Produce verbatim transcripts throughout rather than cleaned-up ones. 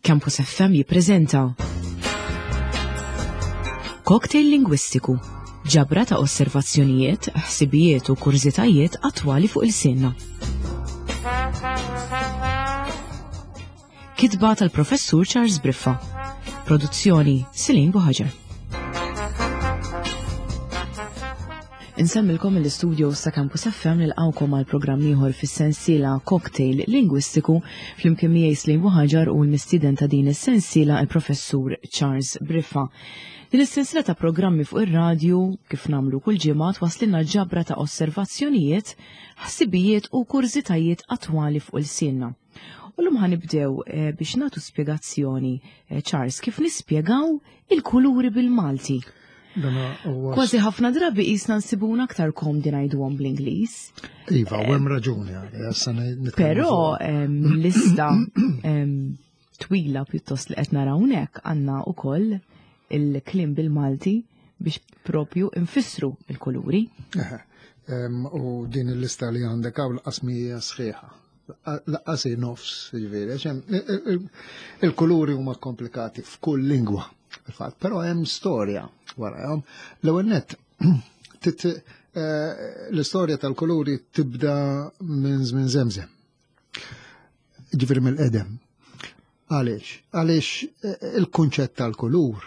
Campus F M jippreżenta Cocktail Lingwistiku, ġabra ta' osservazzjonijiet, ħsibijiet u kurżitajiet attwali fuq il-sinna. Kitba tal-Professur Charles Briffa. Produzzjoni Celine Buhaġar. Insemmilkom l-istudio sa' Campus F M nilqawkom għal programm ieħor fis-sensiela Cocktail Lingwistiku flimkien miegħi Celine Buhaġar u l-mistieden ta' din is-sensiela il-Professur Charles Briffa. Din is-sensiela ta' programmi fuq ir-radju kif nagħmlu kull ġimgħa twasslilna ġabra ta' osservazzjonijiet, ħsibijiet u kurżitajiet attwali fuq il-sinna. U llum ħanibdew, eh, biex nagħtu spjegazzjoni, eh, Charles, kif nispjegaw il-kuluri bil-Malti. Dana huwa Kważi ħafna drabi qisna nsibuna aktar komdi ngħiduhom bl-Ingliż. Iva, u hemm raġuni għalija, issa ne-, nitkellmu Però, fuqha. ehm, lista, ehm, twila pjuttost li qed naraw hawnhekk għandna wkoll il-kliem bil-Malti biex propju nfissru il-kuluri. Eħe, ehm, u din il-lista li għandek hawn laqas mija sħiħa. Laqqas hi nofs, jiġifieri, għax hemm, e, e, e, il-kuluri huma komplikati f'kull lingwa, fil-fatt, però hemm storja warahom. L-ewwel nett, tit-, eh, l-istorja tal-kuluri tibda minn żmien żemżem. Ġifieri mill-qedem. Għaliex? Għaliex, eh, il-kunċett tal-kulur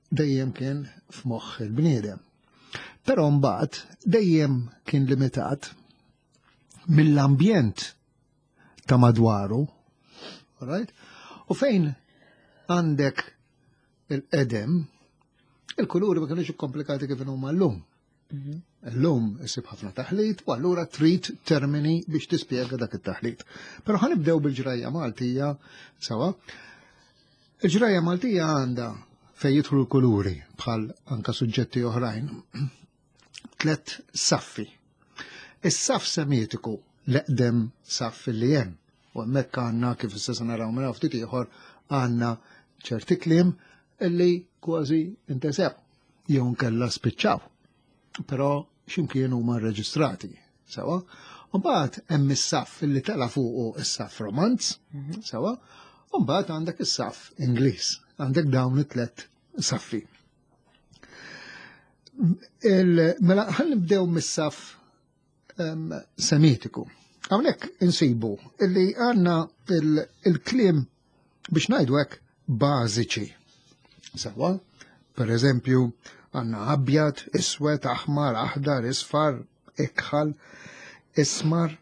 dejjem kien f'moħħ il-bniedem. Però mbagħad dejjem kien limitat mill-ambjent ta' madwaru, right? U fejn għandek il-qedem, il-kuluri ma kienux komplikati kif huma llum. Mhm. Illum isib ħafna taħlit u allura trid termini biex tispjega dak it-taħlit. Però ħanibdew bil-ġrajja Maltija sawa. Il-ġrajja Maltija għandha fejn jidħlu l-kuluri bħal anka suġġetti oħrajn tlet saffi. Is-saff semitiku l-eqdem saff li hemm. U hemmhekk għandna kif issa se naraw minn ftit ieħor għandna ċerti kliem illi kważi intesew jew nkella spiċċaw. Però x'imkien huma rreġistrati, sewa. U mbagħad hemm is-saff illi tela' fuqu is-saff Romanz, Mhm. sewa. U mbagħad għandek is-saff Ingliż, għandek dawn it-tlet saffi. Il-, mela ħalli nibdew mis-saff, em, semitiku. Hawnhekk insibu illi għandna il-, il-kliem biex ngħidu hekk bażiċi. Sewa, per eżempju, għandna abjad, iswed, aħmar, aħdar, isfar, ikħal, ismar.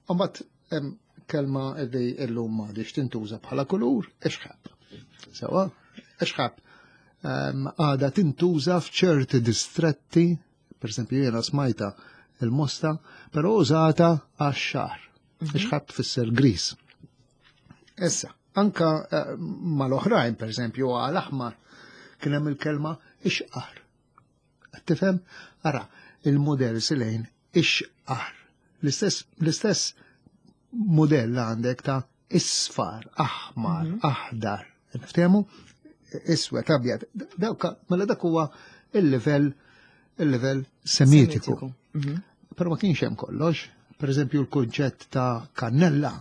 U mbagħad hemm kelma li llum m'għadix tintuża bħala kulur, ixħab. Sewa, ixħab, em, għadha tintuża f'ċerti distretti, per eżempju jiena smajta il-Mosta, però użata għax-xagħar. Mhm. Ixħab tfisser gris. Issa, anka, eh, mal-oħrajn, per eżempju, għal-aħmar, kien hemm il-kelma ixqar. Qed tifhem? Ara, il-modell silejn ixqar. L-istess, l-istess modell għandek ta' isfar, aħmar, Mhm. aħdar. Niftehmu? Iswed, abjad. Dawk, mela dak huwa il-livell, il-livell semitiku. Semitiku. Mhm. Però ma kienx hemm kollox. Per eżempju, l-kunċett ta' kannella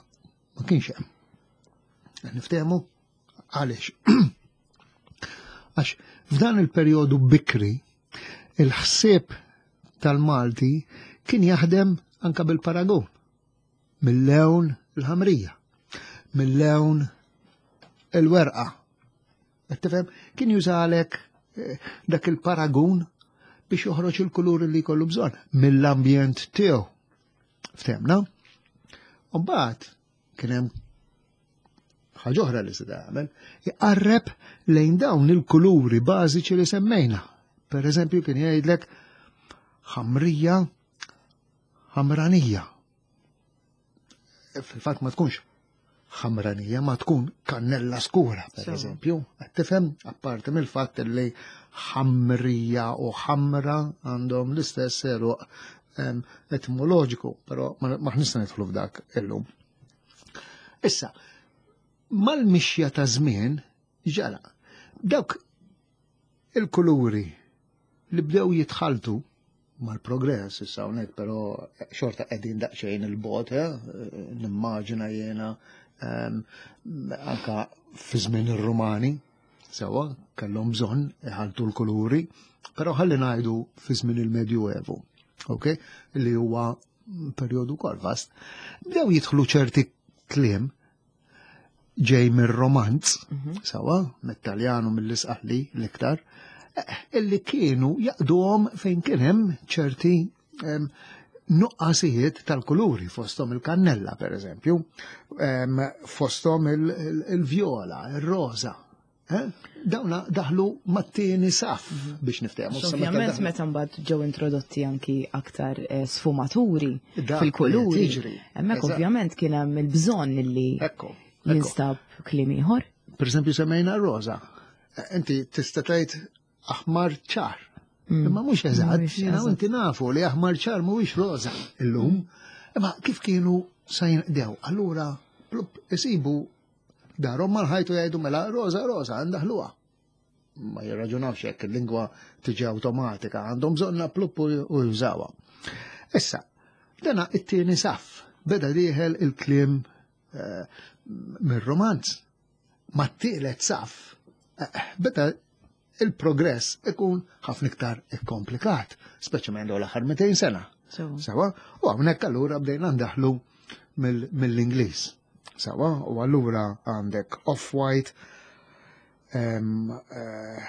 ma kienx hemm. Niftehmu? Għaliex? Għax f'dan il-perjodu bikri, il-ħsieb tal-Malti kien jaħdem anka bil-paragun. Mill-lewn il-ħamrija, mill-lewn il-werqa. Qed tifhem? Kien jużalek, eh, dak il-paragun biex joħroġ il-kulur li jkollu bżonn mill-ambjent tiegħu. Ftehmna? U mbagħad kien hemm ħaġa oħra li se tagħmel, iqarreb lejn dawn il-kuluri bażiċi li semmejna. Per eżempju kien jgħidlek ħamrija, ħamranija. Fil-fatt ma tkunx ħamranija, ma tkun kannella skura, per Sewa. eżempju. Qed tifhem? Apparti mill-fatt li ħamrija u ħamra għandhom l-istess eruq, em, etimoloġiku, però ma, ma nista' nidħlu f'dak illum. Issa, mal-mixja ta' żmien ġara dawk il-kuluri li bdew jitħaltu mal-progress issa hawnhekk, però xorta qegħdin daqsxejn il-bot, eh, nimmaġina jiena Ehm, anka fi żmien ir-Rumani, sewwa, kellhom bżonn iħaltu l-kuluri, però ħalli ngħidu fi żmien il-Medjuevu, ok? Li huwa perjodu wkoll vast. Bdew jidħlu ċerti kliem ġej mir-romanz, sewwa, mit-Taljan u mill-Isqalli l-iktar, eh, illi kienu jaqduhom fejn kien hemm ċerti em, nuqqasijiet tal-kuluri, fosthom il-kannella, per eżempju, em, fosthom il- il- il-vjola, il-roza. Eh? Dawna daħlu mat-tieni saf biex niftehmu. Għax Ovvjament meta mbagħad ġew introdotti anki aktar eh, sfumaturi Dak fil-kuluri. li tiġri. Hemmhekk Eżatt. ovvjament kien hemm il-bżonn li Ekku, ekku. jinstab kliem ieħor. Per eżempju, semmejna roza. Eh, Inti tista' tgħid aħmar ċar. Imma mhux eżatt, Mhuwiex jiena u eżatt. inti nafu li aħmar ċar mhuwiex roża illum. Imma kif kienu sa jinqdew? Allura plup isibu darhom mal-ħajtu jgħidu mela roża roża ndaħluha. Ma jirraġunawx hekk il-lingwa tiġi awtomatika, għandhom bżonna plup u u jużawha. Issa, dana it-tieni saf, beda dieħel il-kliem eh, mir-romanz. Ma t-tielet saf, eh, beda il-progress ikun ħafna iktar ikkomplikat, speċjalment dawn l-aħħar mitejn sena. Sewwa, u hawnhekk allura bdejna ndaħlu mill- mill-Ingliż. Sewwa, u allura għandek off-white, em, eh,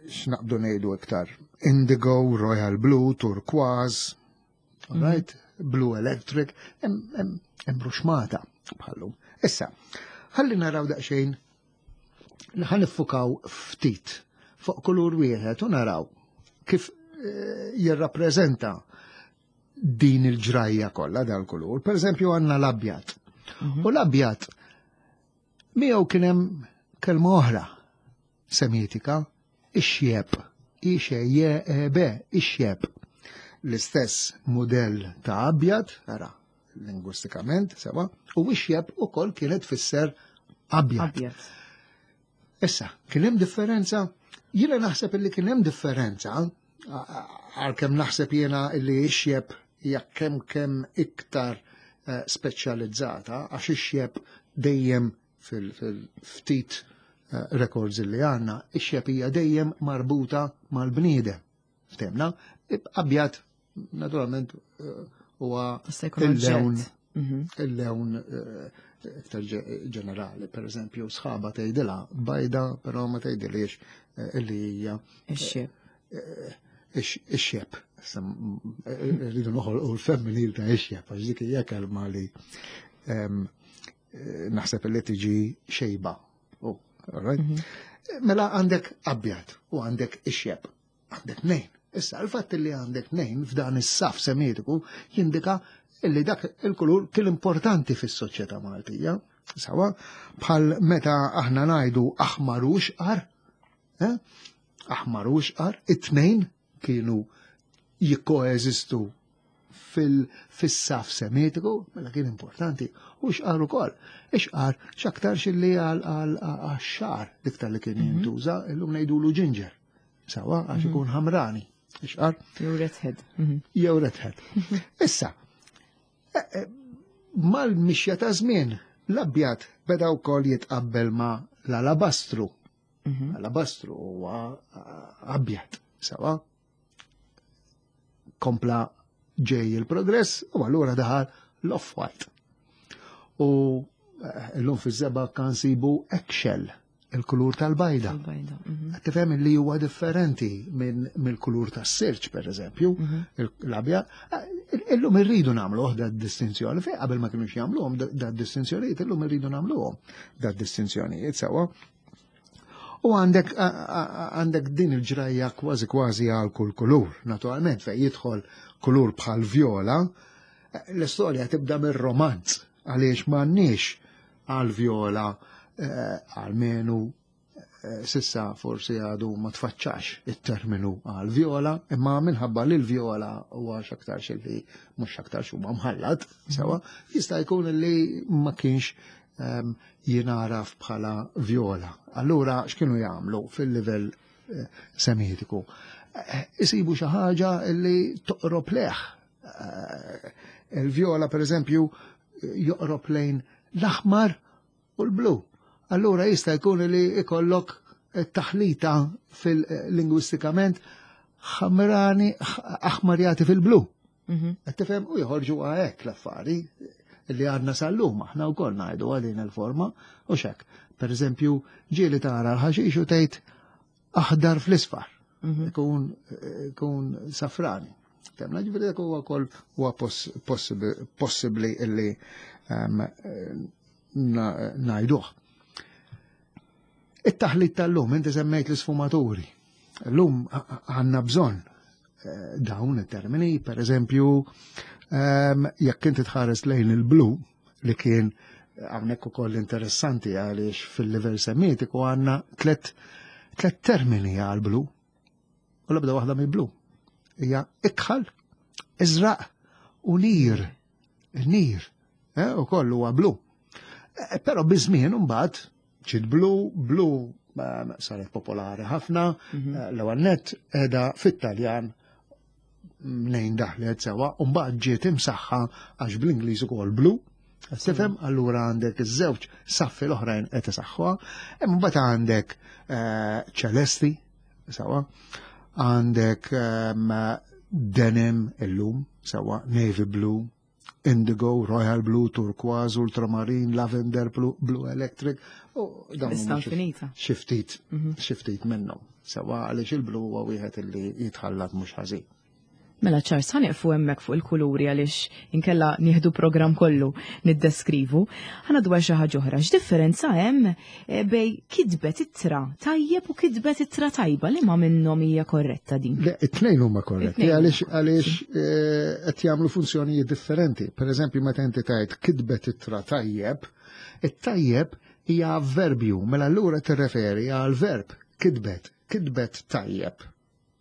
x'naqbdu ngħidu iktar, indigo, royal blue, turquoise, right? Blue electric, hemm hemm hemm ruxmata bħallum. Issa, ħalli naraw daqsxejn ħa niffukaw ftit fuq kulur wieħed u naraw kif eh, jirrappreżenta din il-ġrajja kollha dal-kulur. Per eżempju għandna l-abjad. U l-abjad miegħu kien hemm kelma oħra semitika, ix-xjeb, ix-je ix-xjeb. L-istess modell ta' abjad, ara, lingwistikament, sewwa, u ix-xjeb ukoll kienet tfisser abjad. Abjad. Issa, kien hemm differenza? Jiena naħseb illi kien hemm differenza, għalkemm naħseb jiena illi ix-xjeb hija kemm kemm iktar eh, speċjalizzata, għax ix-xjeb dejjem fil-ftit eh, records illi għandna, ix-xjeb hija dejjem marbuta mal-bniedem. Ftemna, abjad naturalment eh, huwa Jista' jkun il-lewn oġġett. Mhm. il-lewn eh, iktar ġe- ġenerali, per eżempju, sħaba tgħidilha bajda, però ma tgħidilhiex eh, illi hija Ix-xjeb. ix- ix-xjeb. Issa, m- eh, Rridu noħolqu l-femminil ta' ix-xjeb, għax dik hija kelma li em, eh, naħseb li tiġi xejba. Oh, all right? Mela għandek abjad u għandek ix-xjeb. Għandek nejn. Issa, il-fatt li għandek nejn f'dan is-saf semitiku jindika illi dak il-kulur kien importanti fis-soċjetà Maltija. Sewwa, bħal meta aħna ngħidu aħmar u xqar, eh? Aħmar u xqar, it-tnejn kienu jikkoeżistu fil-saf semitiku, mela kien importanti, u xqar ukoll. Ixqar x'aktarx illi għal-xagħar iktar li kien jintuża, illum ngħidulu ginger. Sewwa, għax ikun ħamrani. Ixqar Jew redhead. Mhm. jew redhead. Issa, eh, eh, mal-mixja ta' żmien, l-abjad beda wkoll jitqabbel ma' l-alabastru. Mhm. Alabastru huwa eh, abjad, sewwa. Kompla ġej il-progress u allura daħal l-off-white. U eh, l-lum fiż-żebgħa kan sibu eggshell, il-kulur tal-bajda. Tal-bajda. Mhm. Tifhem li huwa differenti minn mill-kulur tas-sirċ, per eżempju, l-abjad. Illum irridu nagħmlu da distinzjoni, fej qabel ma kienux jagħmluhom da distinzjonijiet, illum irridu nagħmluhom da distinzjonijiet sewwa. U għandek għandek din il-ġrajja kważi kważi għal kull kulur, naturalment fej jidħol kulur bħal vjola, l-istorja tibda mir-romanz, għaliex m'għandniex għal vjola għalmenu s'issa forsi għadu ma tfaċċax il-terminu għal vjola, imma minħabba li l-vjola huwa x'aktarx li mhux x'aktarx huwa mħallat, sewwa, jista' jkun li ma kienx um, jingħaraf bħala vjola. Allura x'kienu jagħmlu fil-livell eh, semitiku? Eh, isibu xi ħaġa li toqrob lejh. Eh, il-vjola per eżempju joqrob lejn l-aħmar u l-blu. Allura jista' jkun li ikollok taħlita fil-lingwistikament ħamrani aħmarjati fil-blu. Mhm. Qed tifhem u joħorġu hekk l-affari li għadna sal-lum aħna wkoll ngħidu għal il-forma u xek. Per eżempju, ġieli tara l-ħaxix u tgħid aħdar fl-isfar. Mhm. Ikun ikun safrani. Temna ġifieri dak huwa wkoll huwa possibbli illi ehm, ngħiduh. It-taħlit tal-lum, inti semmejt l-isfumaturi. L-lum għandna bżonn eh, dawn it-termini, per eżempju, ehm, jekk inti tħares lejn il-blu li kien hawnhekk ukoll interessanti għaliex fil-livell semitiku għandna tlet tlet termini għal blu. U l-ebda waħda mi blu. Hija ikħal, iżraq u nir. Il-nir, eh, u kollu huwa blu. Eh, Però biż-żmien imbagħad ġiet blu, blu eh, saret popolari ħafna, Mhm. eh, l-ewwel nett qiegħda fit-Taljan mnejn daħlet sewa, u mbagħad ġiet imsaħħa għax bl-Ingliż ukoll blu. Tifhem, allura għandek iż-żewġ saffi l-oħrajn qed isaħħuha, imma mbagħad għandek eh, ċelesti, sewa, għandek ehm, denim illum, sewa, navy blue, indigo, royal blue, turquoise, ultramarine, lavender blue, blue electric, u dawn Lista huma xi- infinita. xi ftit, Mhm. xi ftit minnhom. Sewa għaliex il-blu huwa wieħed illi jitħallat mhux ħażin. Mela Charles, ħa nieqfu hemmhekk fuq il-kuluri għaliex inkella nieħdu program kollu niddeskrivu. Ħa dwar xi ħaġa oħra. X'differenza hemm eh, bejn kitbet ittra tajjeb u kitbet ittra tajba li ma minnhom hija korretta din? Le, it-tnejn huma korretti It-tnejn għaliex għaliex eh, qed jagħmlu funzjonijiet differenti. Per eżempju, meta inti tgħid kitbet ittra tajjeb, it-tajjeb hija avverbju, mela allura tirreferi għal verb kitbet, kitbet tajjeb.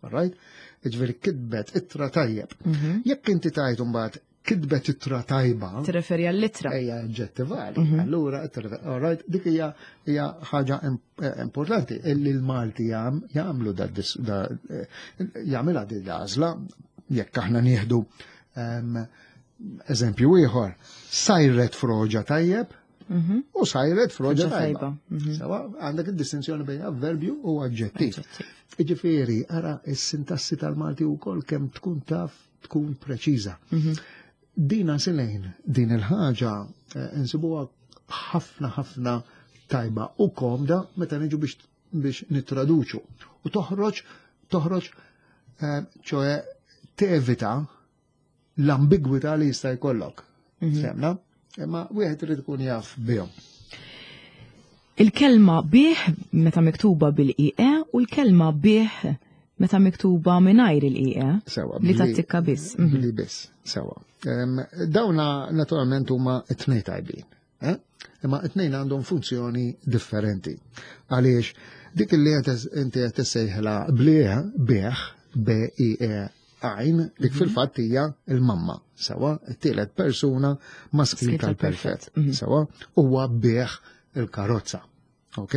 Alright? Ġifieri kitbet ittra tajjeb. Mhm. Jekk inti tgħid imbagħad kitbet ittra tajba, Tirreferi għall-ittra. Ejja oġġettivali. Mhm. Allura, all right, dik hija hija ħaġa im- eh, importanti illi l-Malti jam, jagħmlu da, dis- da eh, jagħmilha din l-għażla jekk aħna nieħdu em, eżempju ieħor, sajret froġa tajjeb Mhm. u sajret froġa Froġa tajba. tajba, mhm. Sewa, għandek id-distinzjoni bejn avverbju u aġġettiv. Aġġettiv. Iġifieri, ara is-sintassi tal-Malti wkoll kemm tkun taf tkun preċiża. Mhm. Dina silejn, din il-ħaġa eh, insibuha ħafna ħafna tajba u komda meta niġu biex biex nittraduċu. U toħroġ toħroġ eh, ċoe tevita l-ambigwità li jista' jkollok. Mhm. Semna? Imma wieħed irid ikun jaf bihom. Il-kelma bih meta miktuba bil-I E u l-kelma bih meta miktuba mingħajr il-I E. Sewa. Li tattikka biss. Mhm. Li biss, sewa. Em, Dawna naturalment huma it-tnejn tajbin. Eh? Imma it-tnejn għandhom funzjoni differenti. Għaliex dik li qed inti qed tissejħla blieh, bih, B I E għajn, dik Mhm. fil-fatt hija il-mamma. Sewa, it-tielet persuna maskil Maskil tal-perfett. tal-perfett. Mhm. Sewa, huwa bih il-karozza. Ok?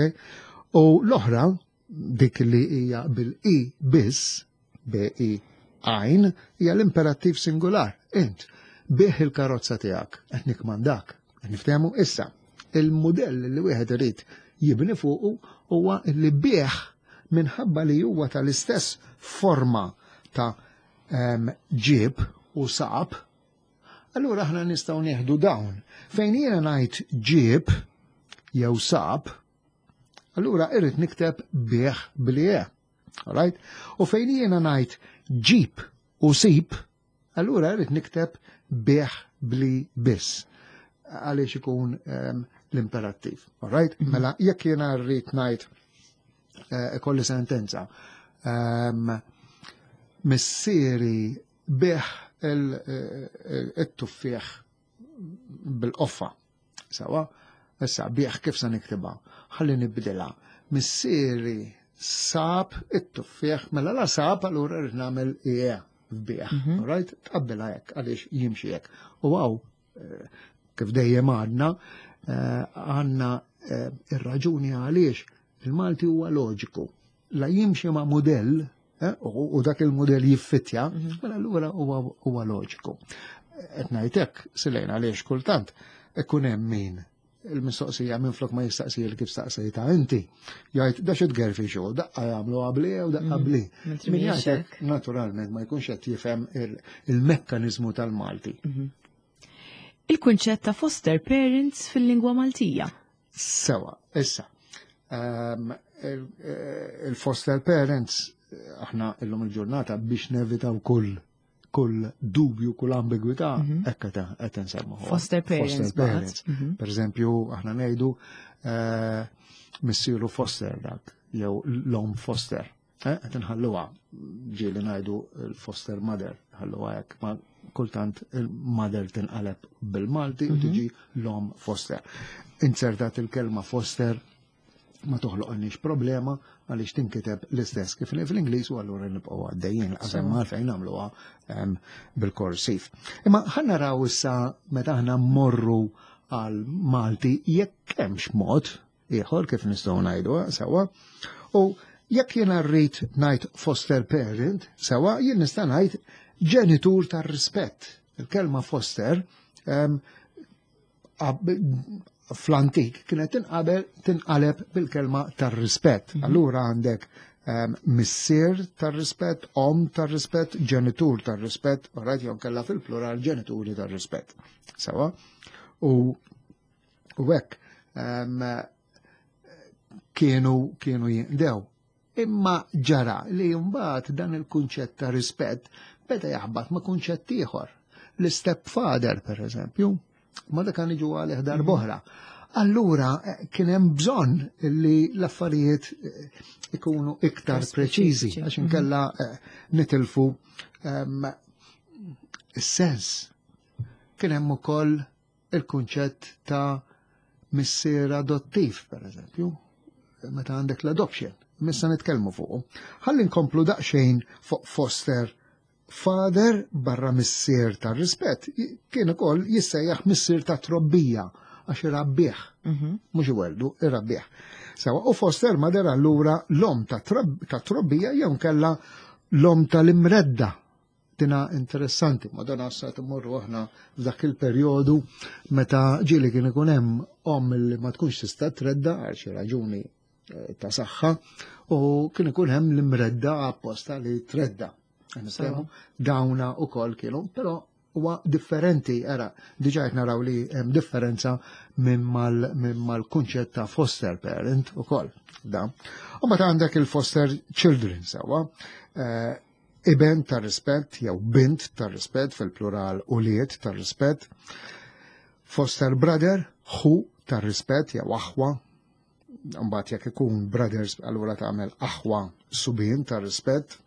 U l-oħra, dik li hija bil-I biss, B I għajn, hija l-imperattiv singular. Int, bih il-karozza tiegħek, qed nikmandak, qed niftehmu issa. Il-modell li wieħed irid jibni fuqu huwa li bih minħabba li huwa tal-istess forma ta' em, ġib u sab, allura aħna nistgħu nieħdu dawn. Fejn jiena ngħid ġib jew sab, allura irrid nikteb bih bli E. Alright? U fejn jiena ngħid ġib u sib, allura irrid nikteb bih bli biss. Għaliex ikun um, l-imperattiv. Alright? Mm -hmm. Mela, jekk jiena rrid ngħid eh, ikolli sentenza. Um, missieri bih il-tuffieħ bil-qoffa. Sewa, issa bih kif se niktibha? Ħalli nibdilha. Missieri sab it-tuffieħ, mela la sab allura rrid nagħmel ie f'bih. Mhm. Alright? Tqabbilha hekk għaliex jimxi hekk. U għaw, eh, kif dejjem għadna, eh, għandna eh, ir-raġuni għaliex il-Malti huwa loġiku. La jimxi ma' modell, eh, u u dak il-modell jiffittja, Mhm. mela allura huwa huwa loġiku. Qed ngħidlek silejn għaliex kultant ikun hemm min il-mistoqsija minn flok ma jistaqsi li kif staqsejta inti. Jgħid da xi tgerfi xogħol, daqqa jagħmlu qabli u daqqa Mm. bli. Mentri Min mhijiex jgħidlek hekk. naturalment ma jkunx qed jifhem il- il-mekkaniżmu tal-Malti. Il-kunċett ta' foster parents fil-lingwa Maltija. Sewa, issa. Um, il-foster parents, eh, aħna illum il-ġurnata biex nevitaw kull kull dubju, kull ambigwità, hekk qed qed nsemmu. Foster parents, Foster parents. baqgħet. Mhm. Per eżempju, aħna ngħidu eh, missieru foster dak, jew l-om foster. Eh, Qed inħalluha ġieli ngħidu l-foster mother, ħalluha hekk, ma kultant il-mother tinqaleb bil-Malti u tiġi l-om foster. Insertat il-kelma foster ma toħloqniex problema għaliex tinkiteb l-istess kif fl-Ingliż u allura nibqgħu għaddejjin qasem għalfejn nagħmluha em, bil-korsiv. Imma ħa naraw issa meta aħna mmorru għal Malti jekk hemmx mod ieħor kif nistgħu ngħidu sewwa. U jekk jiena rrid ngħid foster parent, sewwa jien nista' ngħid ġenitur tar-rispett. Il-kelma foster em, ab- fl-antik kienet tinqabel tinqaleb bil-kelma tar-rispett. Allura għandek um, missier tar-rispett, om tar-rispett, ġenitur tar-rispett, u rajt jew kella fil-plural ġenituri tar-rispett. Sewa? U u hekk um, kienu kienu jinqdew. Imma ġara li mbagħad dan il-kunċett ta' rispett beda jaħbat ma' kunċett ieħor. L-stepfather, per eżempju, ma dak kan iġu għalih darb'oħra. Allura eh, kien hemm bżonn li l-affarijiet eh, ikunu iktar preċiżi, Speċifiċi. għax inkella eh, nitilfu ehm, is-sens. Kien hemm ukoll il-kunċett ta' missier adottiv, per eżempju, meta għandek l-adoption. Missa nitkellmu fuq. Ħalli nkomplu daqsxejn fuq foster father barra missier ta' rispett kien ukoll jissejjaħ missier ta' trobbija għax irabbih, mhux iweldu, irabbih. Sewa, u foster mother allura l-om ta' trob- ta' trobbija jew kella l-om tal-imredda. Tina interessanti, madonna sa timmorru aħna f'dak il-perjodu meta ġieli kien ikun hemm om li ma tkunx tista' tredda għal xi raġuni eh, ta' saħħa u kien ikun hemm l-imredda apposta li tredda. Nitkellmu, dawna u koll kienu, però huwa differenti, era, diġà qed naraw li hemm differenza minn mal minn mal-kunċett ta' foster parent ukoll. Da. U meta għandek il-foster children sewwa, eh, iben ta' rispett jew bint ta' rispett fil-plural ulied ta' rispett, foster brother, ħu ta' rispett jew aħwa, mbagħad jekk ikun brothers allura tagħmel aħwa subien ta' rispett,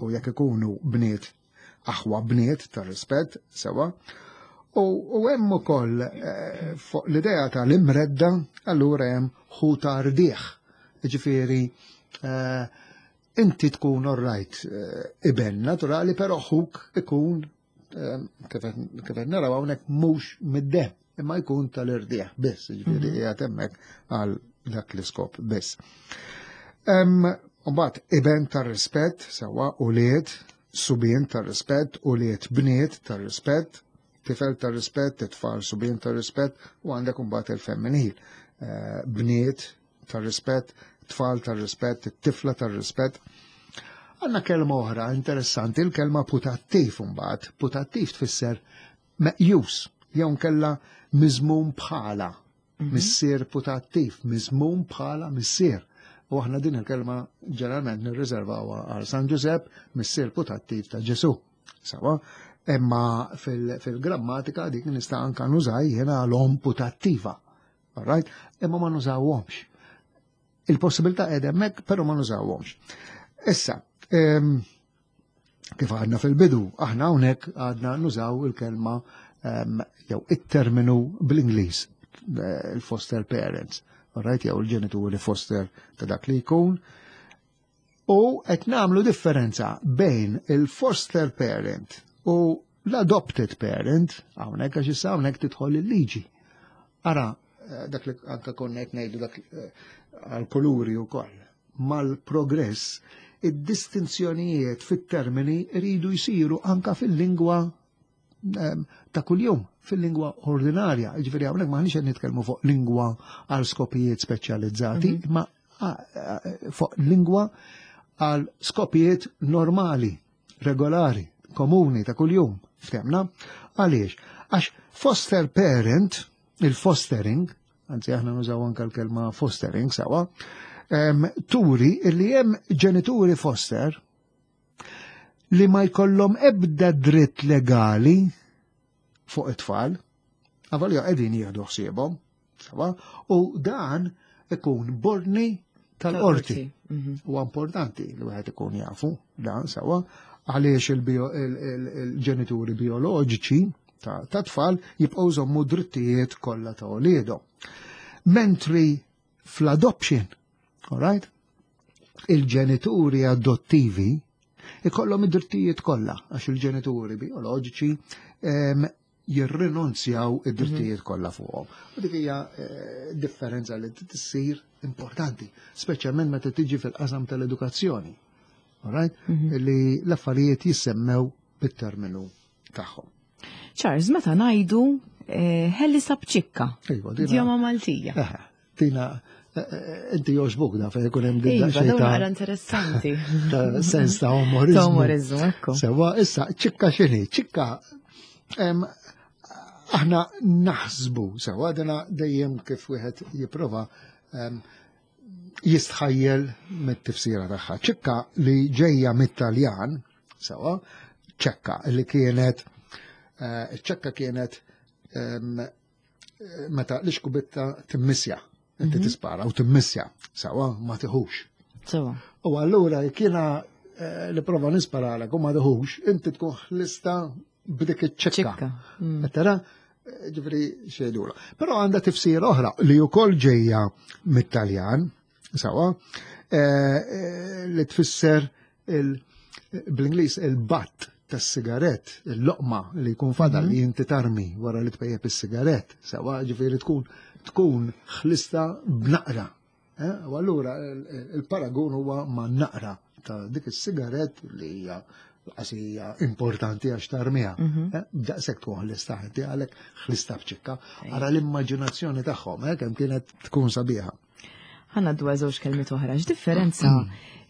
u jekk ikunu bniet aħwa bniet ta' rispett sewa. U, u hemm ukoll eh, fuq l-idea tal-imredda allura hemm ħu ta' rdieħ. Ġifieri eh, inti tkun orrajt eh, iben naturali, però ħuk ikun eh, kif qed kif qed naraw hawnhekk mhux mid-dem, imma jkun tal-irdieħ biss, ġifieri qiegħed hemmhekk għal dak l-iskop biss. Em, Mbagħad iben tar-rispett, sewwa ulied, subien tar-rispett, ulied bniet tar-rispett, tifel tar-rispett, tfal subien tar-rispett, u għandek mbagħad il-femminil. Eh, Bniet tar-rispett, tfal tar-rispett, tifla tar-rispett. Għandna kelma oħra interessanti, il-kelma putattiv mbagħad. Putattiv tfisser meqjus, jew nkella miżmum bħala. Missier putattiv, miżmum bħala missier. U aħna din il-kelma ġeneralment nirriservawha għal San Giuseppe, missier putattiv ta' Ġesu. Sawa, imma fil- fil-grammatika dik nista' anka nużaj jiena l-om putattiva. Alright? Imma ma nużawhomx. Il-possibilità qiegħda hemmhekk, però ma nużawhomx. Issa, em, kif għadna fil-bidu, aħna hawnhekk għadna nużaw il-kelma em, jew it-terminu bl-Ingliż, eh, il-foster parents, alright, jew il-ġenituri foster ta' dak li jkun. U qed nagħmlu differenza bejn il-foster parent u l-adopted parent, hawnhekk għax issa hawnhekk tidħol il-liġi. Ara, eh, dak li anka konna qed ngħidu dak eh, għal-kuluri wkoll. Mal-progress, id-distinzjonijiet fit-termini rridu jsiru anka fil-lingwa ta' kuljum, fil-lingwa ordinarja. Ġifieri hawnhekk m'aħniex qed nitkellmu fuq lingwa għal skopijiet speċjalizzati, ma fuq lingwa għal skopijiet normali, regolari, komuni ta' kuljum. Ftemna? Għaliex? Għax foster parent, il-fostering, anzi aħna nużaw anka l-kelma fostering sawa, turi li hemm ġenituri foster li ma jkollhom ebda dritt legali fuq it-tfal, avolja qegħdin jieħdu ħsiebhom, sawa, u dan ikun b'ordni tal-qorti. Huwa importanti li wieħed ikun jafu dan sawa, għaliex il-ġenituri bioloġiċi ta' tfal jibqgħu jżommu drittijiet kollha ta' uliedhom. Mentri fl-adoption, all right, il-ġenituri adottivi ikollhom id-drittijiet kollha għax il-ġenituri bioloġiċi jirrinunzjaw id-drittijiet kollha fuqhom. U dik hija differenza li tissir importanti, speċjalment meta tiġi fil-qasam tal-edukazzjoni. All right? Li l-affarijiet jissemmew bit-terminu tagħhom. Charles, meta ngħidu ħelli sabċikka. Iva, dina- Idjoma Maltija. Eħe, Tina, inti jogħġbok da fejn ikun hemm din Iva, daqsxejn dawn ta' naqra interessanti. ta' sens ta' umorizmu. Ta' umorizmu, ekku. Sewa, issa, ċikka x'inhi? Ċikka, em, aħna naħsbu, sewa, dina dejjem kif wieħed jipprova em, jistħajjel mit-tifsira tagħha. Ċikka li ġejja mit-Taljan, sewa, ċekka li kienet, eh, ċekka kienet em, meta l-iskupetta timmissja, inti tispara u timmissja, sewa, ma tiħux. Sewa. U allura kiena eh, li prova nisparalek u ma tiħux, inti tkun ħlista b'dik iċ-ċekka. Ċikka. Mm. Tara, ġifieri xejdula. Però għandha tifsira oħra li wkoll ġejja mit-Taljan, sawa, eh, eh, li tfisser il- bl-Ingliż il-butt tas-sigarett, il-loqma li jkun fadal li inti tarmi wara li tpejjep is-sigarett, sawa, ġifieri tkun tkun ħlista b'naqra. Eh, U allura il- il-paragun huwa ma' naqra ta' dik is-sigarett li hija qasija importanti għax tarmiha. Eh, Daqshekk tkun ħlista inti għalhekk ħlista b'ċikka. Ara l-immaġinazzjoni tagħhom, eh, kemm kienet tkun sabiħa. Ħa ngħaddu żewġ kelmiet oħra. X'differenza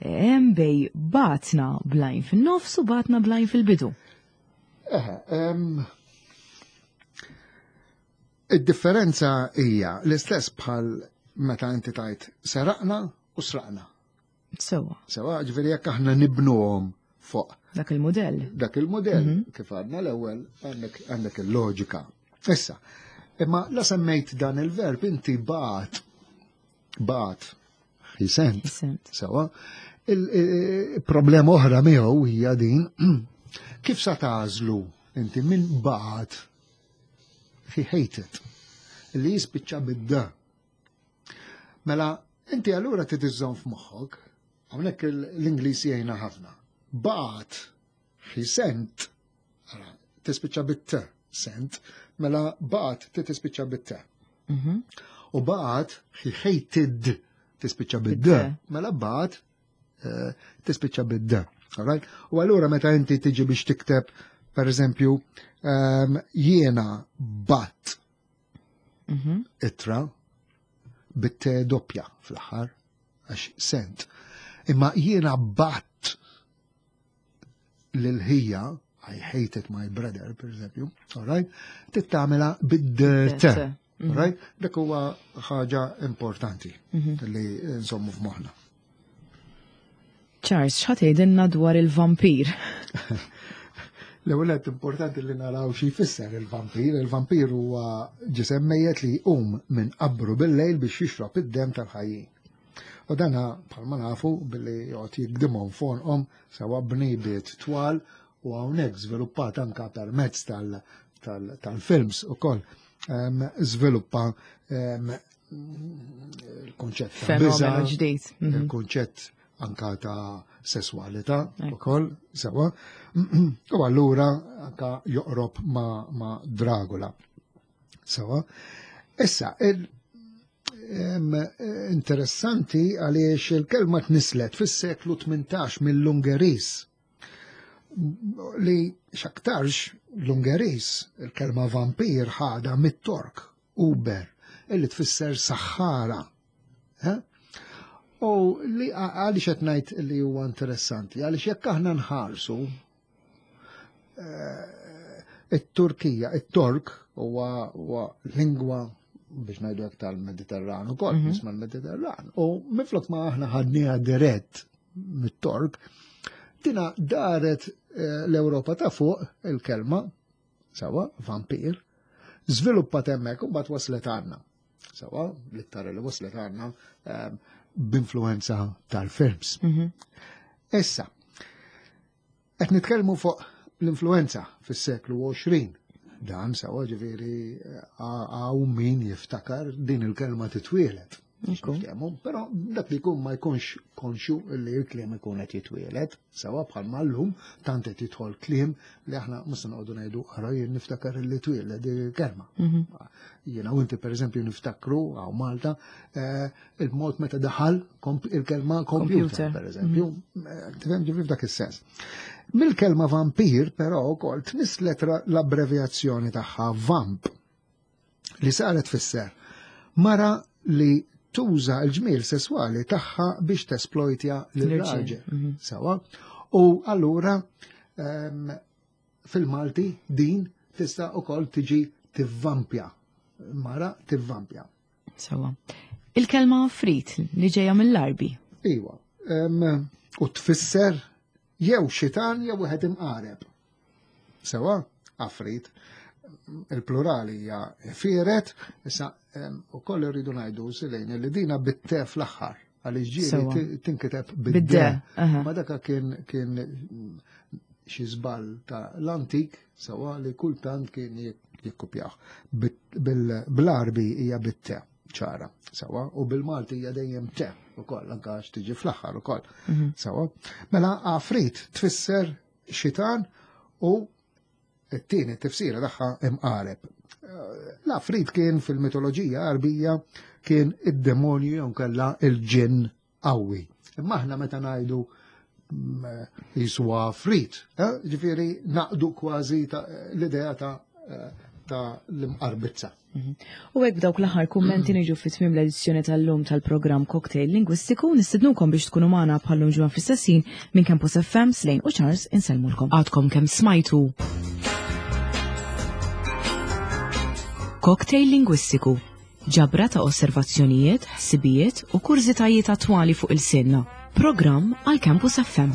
hemm bejn batna bl-għajn fin-nofs u batna bl-għajn fil-bidu? Eħe, em, Id-differenza hija l-istess bħal meta inti tajt seraqna u sraqna. Sewa, Sewa, ġifieri jekk aħna nibnuhom fuq dak il-modell. dak il-modell, kif għadna l-ewwel għandek għandek il-loġika. Issa, imma la semmejt dan il-verb inti bagħat bagħat he sent. Sent. Sewa, il-problema oħra miegħu hija din kif sa tagħżlu inti minn bagħat he hated li jispiċċa bid-da. Mela, inti allura trid iżżomm f'moħħok, hawnhekk l-Ingliż jgħinna ħafna. Bagħat he sent, ara, tispiċċa bit-t, sent, mela bagħat tispiċċa bit-t. Mhm. U bagħat he hated tispiċċa bid-d, Bid-d. mela bagħat eh, tispiċċa bid-d. Alright? U allura meta inti tiġi biex tikteb, per eżempju, ehm, jiena bgħatt Mhm. ittra bit-t doppja fl-aħħar, għax sent. Imma jiena bgħatt lil ħija, I hated my brother, per eżempju, alright? Tittamela bid-t. T. Alright? Dak huwa ħaġa importanti li nżommu f'moħħna. Charles, x'ħa tgħidilna dwar il-vampir? L-ewwel qed importanti li naraw xi jfisser il-vampir. Il-vampir huwa ġisem mejjet li jqum minn qabru bil-lejl biex jixrob id-dem tal-ħajjin. U dana bħalma nafu billi joqgħod jigdimhom f'għonqhom sewa b'nejbiet twal u hawnhekk żviluppat anka permezz tal- tal- tal-films ukoll em, żviluppa em, il-konċett ta' Fenomenu biża', ġdid. Mhm. il-konċett anka ta' sessualità Ekku. ukoll sewa. U allura anka joqrob ma, ma Dracula. Sewa. Issa, il, em, interessanti għaliex il-kelma tnislet fis-seklu tmintax mill-Ungeris. Li x'aktarx l-Ungeris, il-kelma vampir ħada mit-Tork, Uber, illi tfisser saħħara. Eh? U li għaliex qed ngħid li huwa interessanti, għaliex jekk aħna nħarsu eh, it-Turkija, it-Tork huwa huwa lingwa biex ngħidu hekk tal-Mediterran ukoll, mm -hmm. l-Mediterran. U minflok ma aħna ħadniha dirett mit-Tork, dina daret eh, l-Ewropa ta' fuq il-kelma, sawa, vampir, żviluppat hemmhekk u mbagħad waslet għandna. Sawa, l-iktar li waslet għandna ehm, b'influenza tal-films. Mhm. Issa, qed nitkellmu fuq l-influenza fis-seklu għoxrin. Dan sawa ġifieri hawn min jiftakar din il-kelma titwielet. Ekku. Niftehmu, però dak li jkun ma jkunx konxju li l-kliem ikun qed jitwielet, sawa bħalma llum tant qed jidħol kliem li aħna mhux se noqogħdu ngħidu ara jien niftakar li twieled din il-kelma. Mhm. Jiena u inti pereżempju niftakru hawn Malta eh, il-mod meta daħal komp- il-kelma computer, Computer. pereżempju, eh, tifhem ġifieri f'dak is-sens. Mill-kelma vampir però wkoll tnislet ra- l-abbrevjazzjoni tagħha vamp li saret tfisser mara li tuża l-ġmiel sesswali tagħha biex tesplojtja L-irġiel, lil-raġel. mhm. Sawa. U allura ehm, fil-Malti din tista' ukoll tiġi tivvampja. Mara tivvampja. Sawa. Il-kelma frit li ġejja mill-Arbi. Iwa. Ehm, u tfisser jew xitan jew wieħed imqareb. Sewa, afrit. Il-plurali hija firet, issa ehm, ukoll irridu ngħidu silejn li dina bit-te fl-aħħar għaliex ġieli Sewa. ti- tinkiteb Bid-de, bid-de. aha. Ma daka kien kien xi żball ta' l-antik sewa li kultant kien jik- jikkupjaw. Bit- bil- Bl-Arbi hija bit-te ċara, sewa, u bil-Malti hija dejjem te ukoll anke għax tiġi fl-aħħar ukoll. Sewa. Mela afrit tfisser xitan u t-tieni tifsira tagħha imqareb. L-afrit kien fil-mitoloġija Arbija kien id-demonju jew kella il-ġinn qawwi. Imma aħna meta ngħidu mm, jiswa afrit, eh, ġifieri naqdu kważi ta' l-idea ta' eh, ta' l-imqarbizza. U hekk b'dawk l-aħħar kummenti niġu fi tmiem l-edizzjoni tal-lum tal-programm Cocktail Lingwistiku nistednukom biex tkunu magħna bħallum ġimgħa fl-istessin minn Campus F M Slejn u Charles insellmulkom. Għadkom kemm smajtu. Cocktail Lingwistiku, ġabra ta' osservazzjonijiet, ħsibijiet u kurżitajiet attwali fuq il-sinna. Programm għal Campus F M.